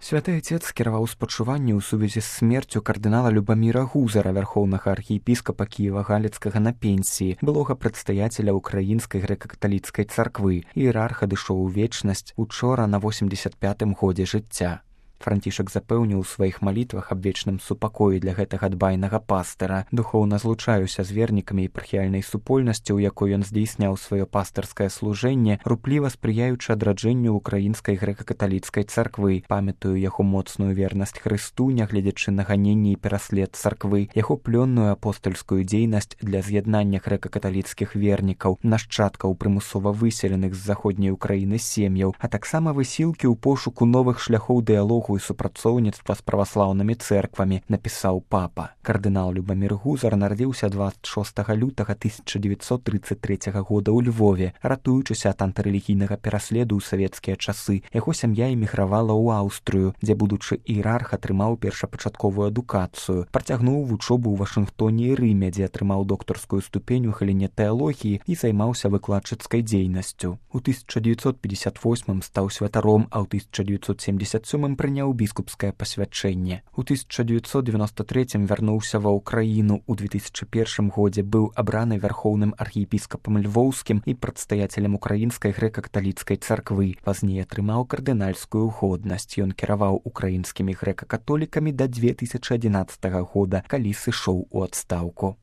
Святы Отец скіраваў спачуванне ў сувязі з смерцю кардынала Любаміра Гузара, вярхоўнага архіепіскапа Кіева-Галіцкага на пенсіі, былога прадстаяцеля ўкраінскай грэка-каталіцкай царквы. Іерарх адышоў у вечнасць учора на 85-м годзе жыцця. Францішак запэўніў у сваіх малітвах аб вечным супакоі для гэтага дбайнага пастыра. Духоўна злучаюся з вернікамі епархіяльнай супольнасці, у якой ён здзейсняў сваё пастырскае служэнне, рупліва спрыяючы адраджэнню ўкраінскай грэка-каталіцкай царквы. Памятаю яго моцную вернасць Хрысту, нягледзячы на ганенні і пераслед царквы, яго плённую апостальскую дзейнасць для з'яднання грэка-каталіцкіх вернікаў, нашчадкаў прымусова выселеных з заходняй Украіны сем'яў, а таксама высілкі ў пошуку новых шляхоў дыялогу і супрацоўніцтва з праваслаўнымі цэрквамі, напісаў папа. Кардынал Любамір Гузар нарадзіўся 26 лютага 1933 года ў Львове. Ратуючыся ад антырэлігійнага пераследу ў савецкія часы, яго сям'я эмігравала ў Аўстрыю, дзе будучы іерарх атрымаў першапачатковую адукацыю. Працягнуў вучобу ў Вашынгтоне і Рыме, дзе атрымаў доктарскую ступень у галіне тэалогіі і займаўся выкладчыцкай дзейнасцю. У 1958 стаў святаром, а ў 1977 прыняў біскупскае пасвячэнне. У 1993 вярнуўся ва ўкраіну. У 2001 годзе быў абраны вярхоўным архіепіскапам львоўскім і прадстаяцелем украінскай грэка-каталіцкай царквы. Пазней атрымаў кардынальскую годнасць. Ён кіраваў украінскімі грэка-католікамі да 2011 года, калі сышоў у адстаўку.